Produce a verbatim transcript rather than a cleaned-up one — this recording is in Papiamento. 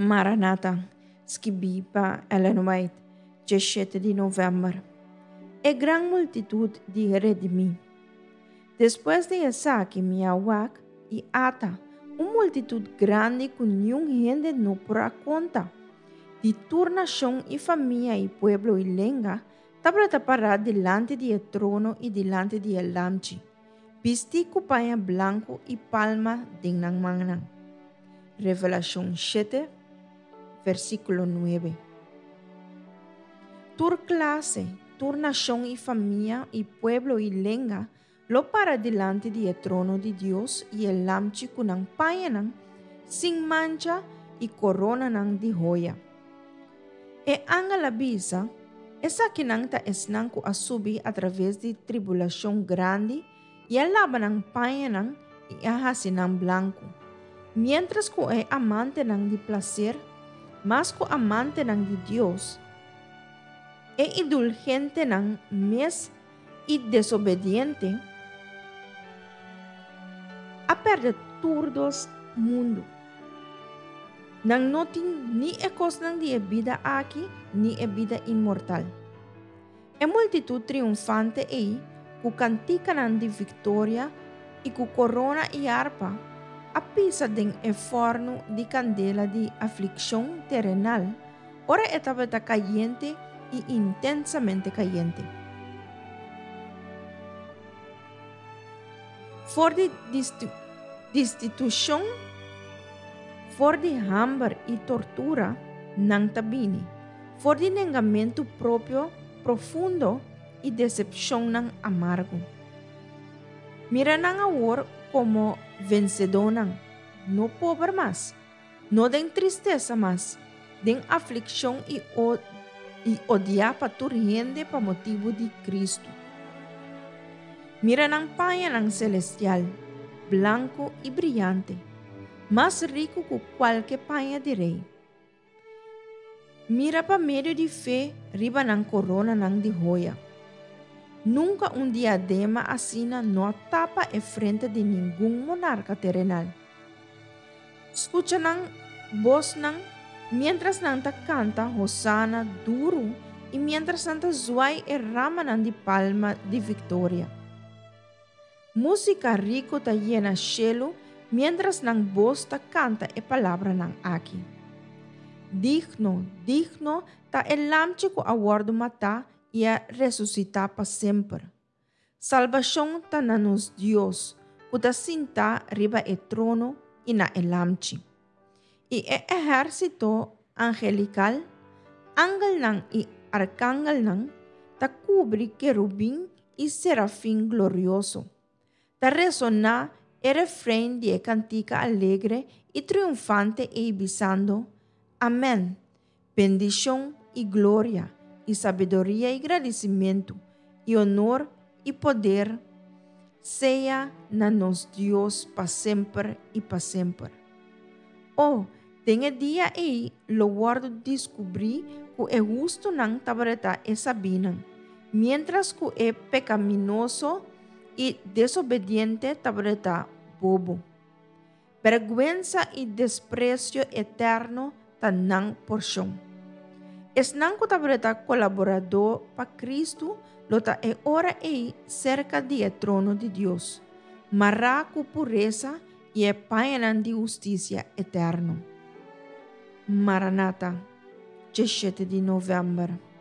Maranata, skibí pa Ellen White, diesshete di novèmber. E gran multitut di redimí. Despues di esaki mi a wak i ata, un multitut grandi ku niun hende no por a konta, di tur nashon i famia i pueblo i lenga, tabata pará dilanti di e trono i dilanti di e Lamchi, bistí ku paña blanku i palma den nan mannan. Revelashon shete, versíkulo nuebe. Tur klase, tur nashon i famia i pueblo i lenga lo para dilanti di e trono di Dios i e Lamchi ku nan pañanan sin mancha i koronanan di hoya. E angel a bisa, Esakinan ta esnan ku a subi atraves di tribulashon grandi i a laba nan pañanan i a hasi nan blanku, miéntras ku e amantenan di plaser, mas ku amantenan di Dios, e indulgentenan mes i desobediente, a pèrdè tur dos mundu. Nan no tin ni e kosnan di e bida aki ni e bida inmortal. E multitut triunfante ei, ku kantikanan di viktoria i ku korona i arpa, a pisa den e fòrnu di kandela di aflikshon terenal ora e tabata kayente i intensamente kayente. For di destitushon, for di hamber i tortura nan ta bini, for di nengamentu propio profundo i desepshonnan amargo. Mira nan awor komo vensedónan, no pober mas, no den tristesa mas, den aflikshon i i odiá pa tur hende pa motibu di Kristu. Mira nan pañanan selestial, blanku i briante, mas riku ku kualke paña di rei. Mira pa medio di fe riba nan koronanan di hoya. Nunka un diadema asina no a tapa e frente di ningun monarka terenal. Skucha nan bosnan miéntras nan ta kanta hosana duru i miéntras nan ta zuai e ramanan di palma di viktoria. Músika riku ta yena shelu miéntras nan bos ta kanta e palabranan aki, Digno, digno ta e Lamchi ku a wòrdu matá i a resusitá pa semper. Salbashon ta na nos Dios, ku ta sintá riba e trono i na e Lamchi. I e ehérsito angelikal, angelnan i arkangelnan, ta kubri kerubin i serafin glorioso. Ta resoná e refrein di e kantika alegre i triunfante ei bisando, Amèn! Bendishon i gloria i sabiduria i gradisimentu i onor i poder sea na nos Dios pa semper i pa semper. O, den e dia ei lo wòrdu diskubrí ku e hustunan tabata e sabínan, miéntras ku e pekaminoso i desobediente tabata bobo. Bèrgwensa i despresio eterno ta nan porshon. Esnan ku tabata kolaboradó pa Kristu lo ta e ora ei serka di e trono di Dios, mará ku puresa i e pañanan di hustisia eterno. Maranata, diesshete di novèmber.